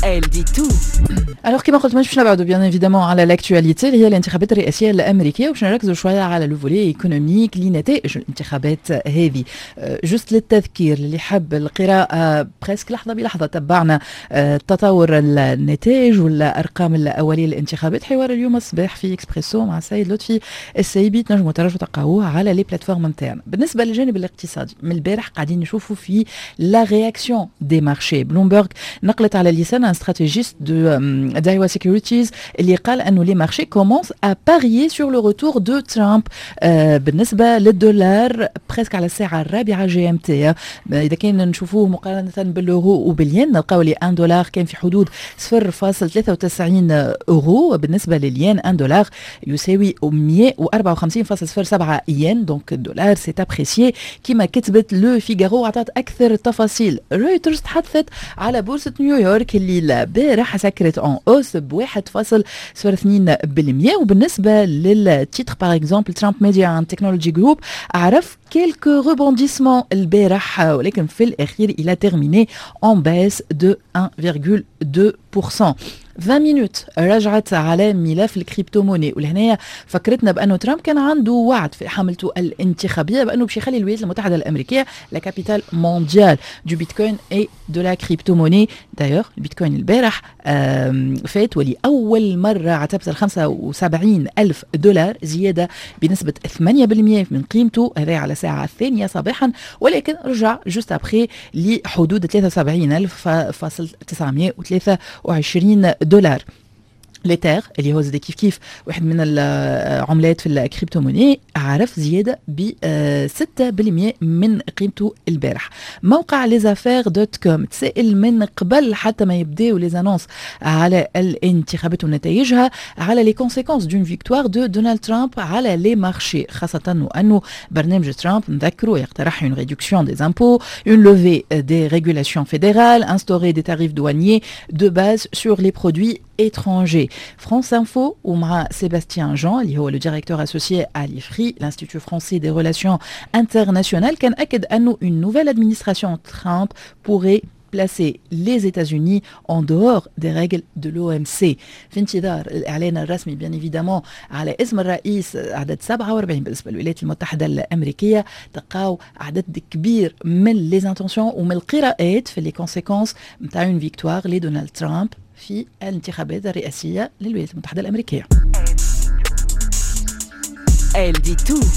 Elle dit tout. Alors كما قلت، مش باش نبعدوا bien évidemment على l'actualité اللي هي الانتخابات الرئاسية الامريكيه، وباش نركزوا شوية على le volet économique لنتائج الانتخابات هذه. juste للتذكير اللي حب القراءه، presque لحظة بلحظة تبعنا تطور النتائج والارقام الاولية للانتخابات. حوار اليوم الصباح في اكسبريسو مع السيد لطفي السيبي تنجموا ترجعوا تلقاوه على les plateformes نتاعنا. بالنسبة للجانب الاقتصادي، من البارح قاعدين نشوفوا في la réaction des marchés. بلومبرغ نقلت على لسان un stratégiste de Daiwa Securities اللي قال انه les marchés commencent à parier sur le retour de Trump. بالنسبة للدولار، presque على الساعة 4 GMT، اذا كان نشوفوه مقارنة باليورو وبالين، نلقاو لي 1 دولار كان في حدود 0.93 اورو. بالنسبة للين، 1 دولار يساوي 154.07 ين. donc الدولار s'est apprécié كما كتبت Le Figaro، عطات اكثر تفاصيل. رويترز تحدثت على بورصة نيويورك اللي البارح سكرت en hausse ب 1.02. وبالنسبة لل titre par exemple Trump Media and Technology Group، عرف quelques rebondissements البارح، ولكن في الاخير il a terminé en baisse de 1,2%. 20 Minutes رجعت على ملف ال crypto-monnaie، ولهنا فكرتنا بانه ترامب كان عنده وعد في حملته الانتخابية بانه باش يخلي الولايات المتحدة الامريكية la capitale mondiale du bitcoin et de la crypto-monnaie. d'ailleurs البيتكوين البارح فات ولاول مرة عتبة ال 75 الف دولار، زيادة بنسبة 8% من قيمته، هذا على الساعة 2 صباحا، ولكن رجع juste après لحدود 73 الف فاصل 923 دولار. l'Ether اللي هو زاد كيف كيف واحد من العملات في ال crypto-monnaie، عرف زيادة ب 6% من قيمته البارح. موقع lesaffaires.com تسائل من قبل حتى ما يبداو les annonces على الانتخابات ونتائجها على les conséquences d'une victoire de Donald Trump على les marchés، خاصة أنه برنامج ترامب، نذكروا، يقترح une réduction des impôts, une levée des régulations fédérales, instaurer des tarifs douaniers de base sur les produits étrangers. France Info ومع Sébastien Jean اللي هو le directeur associé à l'IFRI, l'Institut français des relations internationales، كان أكد أنه une nouvelle administration Trump pourrait placer les États-Unis en dehors des règles de l'OMC. في انتظار الإعلان الرسمي bien évidemment على اسم الرئيس عدد 47 بالنسبة للولايات المتحدة الأمريكية، تلقاو عدد كبير من les intentions ومن القراءات في les conséquences نتاع une victoire لدونالد ترامب في الانتخابات الرئاسية للولايات المتحدة الأمريكية. Elle dit tout.